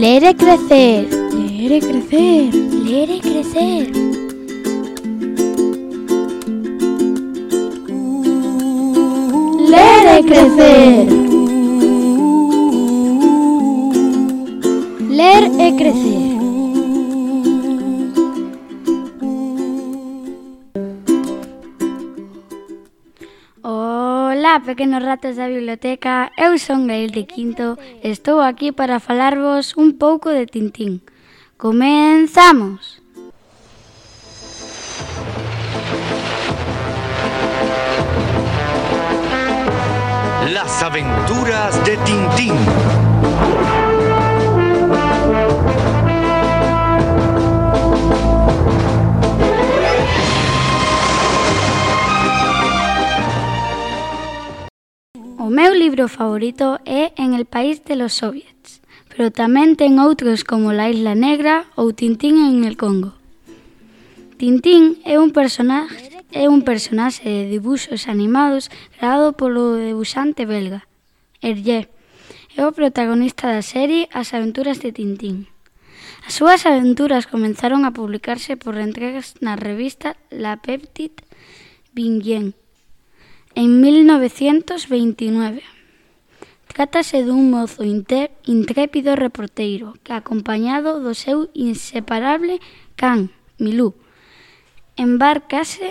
Ler e crecer. Ler e crecer. Ler e crecer. Ler e crecer. Ler e crecer. Ola, pequenos ratos da biblioteca, eu son Gael de Quinto e estou aquí para falarvos un pouco de Tintín. Comenzamos! Las aventuras de Tintín. O meu libro favorito é En el país de los soviets, pero tamén ten outros como La isla negra ou Tintín en el Congo. Tintín é un personaxe de dibuxos animados creado polo debuxante belga, Hergé. É o protagonista da serie As aventuras de Tintín. As súas aventuras comenzaron a publicarse por entregas na revista La Petite Vignette en 1929. Trátase dun mozo intrépido reporteiro que, acompañado do seu inseparable can, Milú, embárcase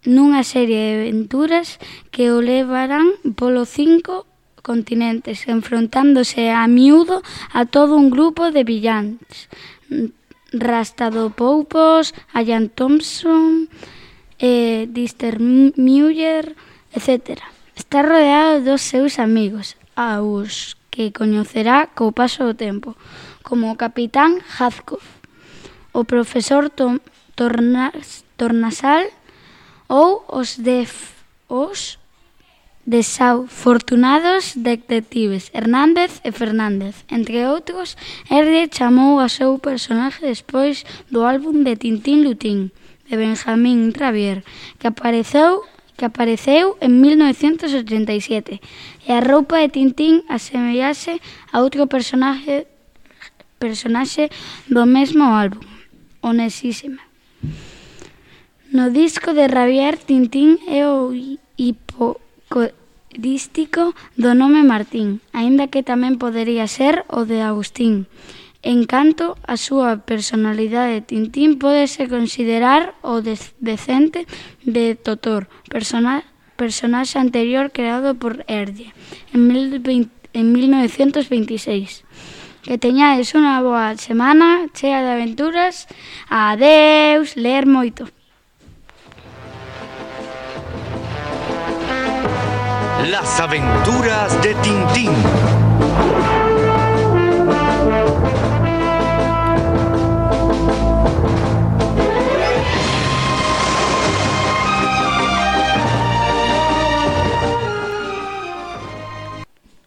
nunha serie de aventuras que o levarán polos 5 continentes, enfrontándose a miúdo a todo un grupo de villáns, Rastadopoupos, Ian Thompson, Dexter Muller, etc. Está rodeado dos seus amigos, aos que coñecerá co paso do tempo, como o capitán Hadcock, o profesor Tornasal ou os desafortunados detectives Hernández e Fernández. Entre outros, Hergé chamou a seu personaxe despois do álbum de Tintín Lutín, de Benjamín Rabier, que apareceu en 1987, e a roupa de Tintín asemellase a outro personaxe do mesmo álbum, Onésime. No disco de Rabier, Tintín é o hipocorístico do nome Martín, aínda que tamén podería ser o de Agustín. En canto a súa personalidade, Tintín pódese considerar o descendente de Totor, personaxe anterior creado por Hergé en 1926. Que teñades unha boa semana chea de aventuras. Adeus, ler moito. Las aventuras de Tintín.